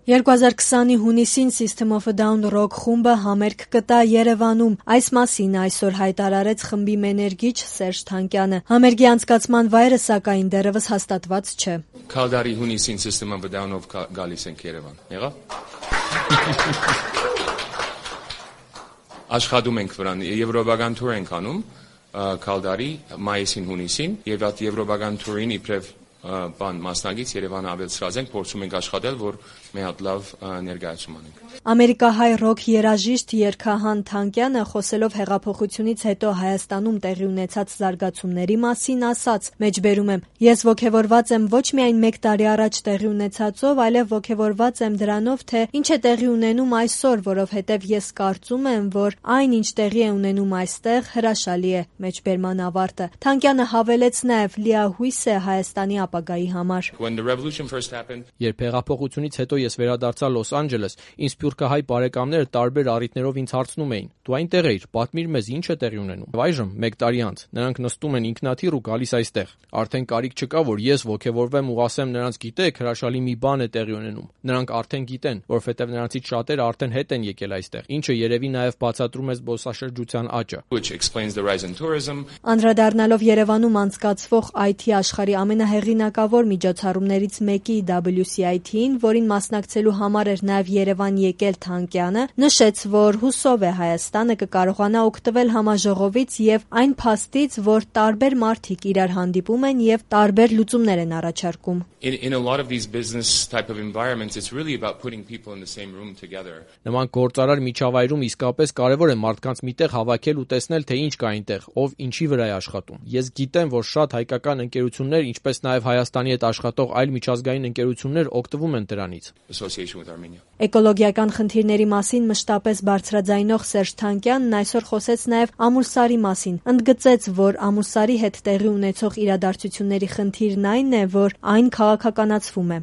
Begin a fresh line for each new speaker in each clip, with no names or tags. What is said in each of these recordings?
2020-ի հունիսին System of a Down ռոք խումբը համերգ կտա Երևանում։ Այս մասին այսօր հայտարարեց խմբի մենեջեր Սերժ Թանկյանը։ Համերգի անցկացման վայրը սակայն դեռևս հաստատված չէ։
Քալդարի հունիսին System of a Down-ով գալիս ենք Երևան։ Եղա՞։ Աշխատում ենք վրան, եվրոպական թուր ենք անում Քալդարի մայիսին հունիսին եւ այդ եվրոպական թուրին իբրև մասնագից Երևանը ավելցրած ենք, փորձում ենք աշխատել, որ մի հատ լավ ներկայացում անենք։
Ամերիկահայ ռոք երաժիշտ Երքահան Թանկյանը խոսելով հեղափոխությունից հետո Հայաստանում տեղի ունեցած զարգացումների մասին ասաց. «Մեջբերում եմ, ես ոգևորված եմ ոչ միայն 1 տարի առաջ տեղի ունեցածով, այլև ոգևորված եմ դրանով, թե ինչ է տեղի ունենում այսօր, որովհետև ես կարծում եմ, որ այն, ինչ տեղի է ունենում այստեղ, հրաշալի է»։ Մեջբերման ավարտը։ Թանկյանը հավելեց նաև լիահույս է Հայաստանի ապագայի համար։
Երբ հեղափոխությունից հետո ես վերադարձա Լոս Անջելես, ինձ սփյուռքահայ բարեկամները տարբեր առիթներով ինձ հարցնում էին. «Դու այնտեղ էիր, պատմիր մեզ, ինչ է տեղի ունենում»։ Այժմ 1 տարի անց նրանք նստում են ինքնաթիռ ու գալիս այստեղ։ Արդեն կարիք չկա, որ ես ոգևորվեմ ու ասեմ նրանց՝ գիտեք, հրաշալի մի բան է տեղի ունենում։ Նրանք արդեն գիտեն, որովհետև նրանցից շատերը արդեն հետ են եկել այստեղ, ինչը երևի նաև բացատրում է զբոսաշրջության աճը։
Անդրադառնալով Երևանում անցկացվող IT աշխարհի ամենահեղինակավոր միջոցառումներից մեկի WCIT-ին, որին մասնակցելու համար էր նաև Երևան եկել Թանկյանը, նշեց, որ հուսով է Հայաստանը կկարողանա օգտվել համաժողովից եւ այն փաստից, որ տարբեր մարդիկ իրար հանդիպում են եւ տարբեր լուծումներ են առաջարկում։
Նման գործարար միջավայրում իսկապես կարևոր է մարդկանց միտեղ հավաքել ու տեսնել, թե ինչ կա այնտեղ, ով ինչի վրա է աշխատում։ Ես գիտեմ, որ շատ հայկական ընկերություններ, ինչպես նաև Հայաստանի հետ աշխատող այլ միջազգային ընկերություններ օգտվում են դրանից։
Էկոլոգիական խնդիրների մասին մշտապես բարձրաձայնող Սերժ Թանկյանն այսօր խոսեց նաև Ամուլսարի մասին։ Ընդգծեց, որ Ամուլսարի հետ տեղի ունեցող իրադարձությունների խնդիրն այն է, որ այն քաղաքականացվում է։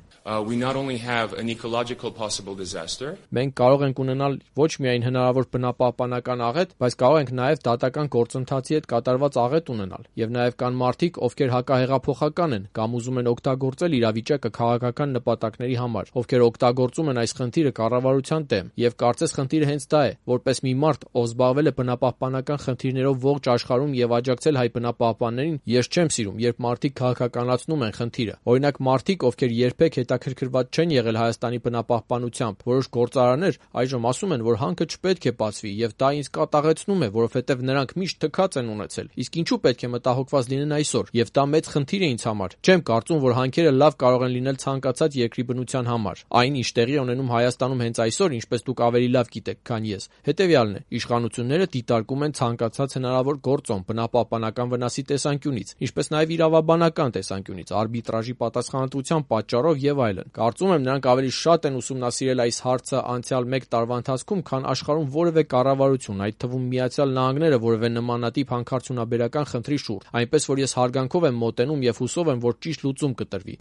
Մենք կարող ենք ունենալ ոչ միայն հնարավոր բնապահպանական աղետ, բայց կարող ենք նաև դատական գործընթացի հետ կատարված աղետ ունենալ։ Եվ նաև կան մարդիկ, ովքեր հակահեղափոխական են կամ ուզում են օգտագործել իրավիճակը քաղաքական նպատակների համար, ովքեր օգտագործում են այս խնդիրը կառավարության դեմ։ Եվ կարծես խնդիրը հենց դա է, որպես մի մարդ, ով զբաղվել է բնապահպանական խնդիրներով ողջ աշխարհում եւ աջակցել հայ բնապահպաններին, ես չեմ սիրում, երբ մարդիկ քաղաքականացնում են խնդիրը։ Օրինակ մարդիկ, ովքեր երբեք հետաքրքրված չեն եղել Հայաստանի բնապահպանությամբ, որոշ գործարաններ այժմ ասում են, որ հանքը չպետք է բացվի, եւ դա ինձ կատաղեցնում է, որովհետեւ նրանք միշտ թքած են ունեցել։ Իսկ ինչու պետք է մտահոգված լինեն այսօր։ Եվ դա մեծ խնդիր է ինձ համար։ Չեմ կարծում, որ հանքերը լավ կարող են լինել ցանկացած երկրի բնության համար։ Այն, ինչ տեղի ունենում Հայաստանում հենց այսօր, ինչպես դուք ավելի լավ գիտեք, քան ես, հետեւյալն է. իշխանությունները դիտարկում են ցանկացած հնարավոր գործոն բնապահպանական վնասի տեսանկյունից, ինչպես նաև իրավաբանական տեսանկյունից, արբիտրաժի պատասխանատվության պատճառով եւ այլն։ Կարծում եմ, նրանք ավելի շատ են ուսումնասիրել այս հարցը անցյալ 1 տարվա ընթացքում, քան աշխարհում որևէ կառավարություն, այդ թվում Միացյալ Նահանգները, որևէ նմանատիպ հանքարդյունաբերական խնդրի շուրջ, այնպես որ ես հարգանքով եմ մոտենում եւ հուսով եմ, որ ճիշտ լուծում կտրվի։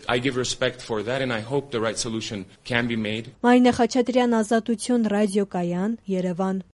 Մարինե Խաչատրյան, Ազատություն ռադիոկայան, Երևան։